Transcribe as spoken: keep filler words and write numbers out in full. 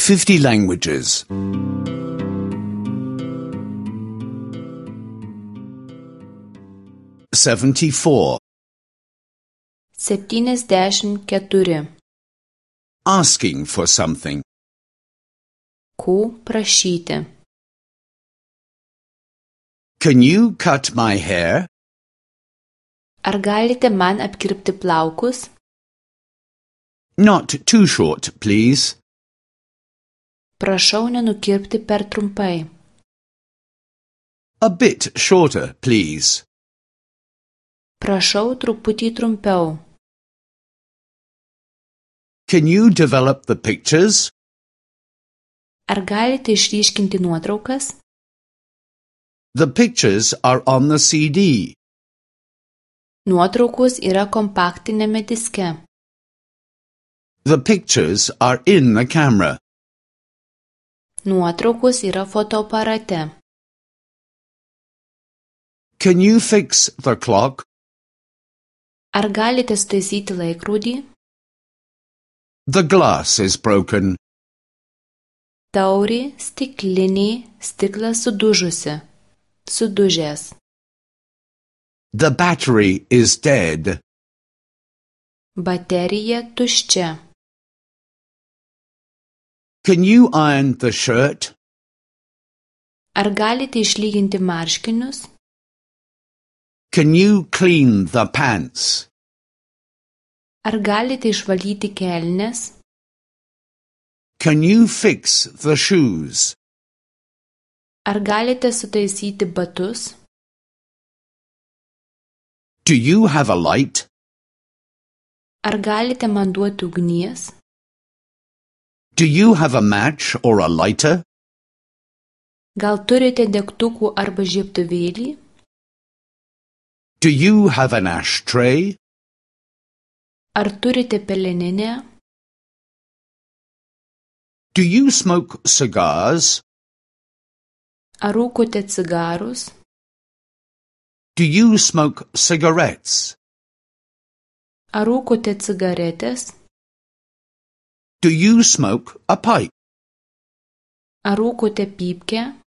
fifty languages. seventy-four. septyniasdešimt keturi. Asking for something. Ko prašyti. Can you cut my hair? Ar galite man apkirpti plaukus? Not too short, please. Prašau nenukirpti per trumpai. A bit shorter, please. Prašau truputį trumpiau. Can you develop the pictures? Ar galite išryškinti nuotraukas? The pictures are on the C D. Nuotraukos yra kompaktinėme diske. The pictures are in the camera. Nuotraukos yra fotoaparate. Can you fix the clock? Ar galite sutaisyti laikrodį? The glass is broken. Taurė, stiklinė, stiklas sudužusi. Sudužęs. The battery is dead. Baterija tuščia. Can you iron the shirt? Ar galite išlyginti marškinius? Can you clean the pants? Ar galite išvalyti kelnes? Can you fix the shoes? Ar galite sutaisyti batus? Do you have a light? Ar galite man duoti ugnies? Do you have a match or a lighter? Gal turite degtukų arba žiebtuvėlį? Do you have an ashtray? Ar turite peleninę? Do you smoke cigars? Ar rūkote cigarus? Do you smoke cigarettes? Ar rūkote cigaretės? Do you smoke a pipe? Ar rūkote pypkę?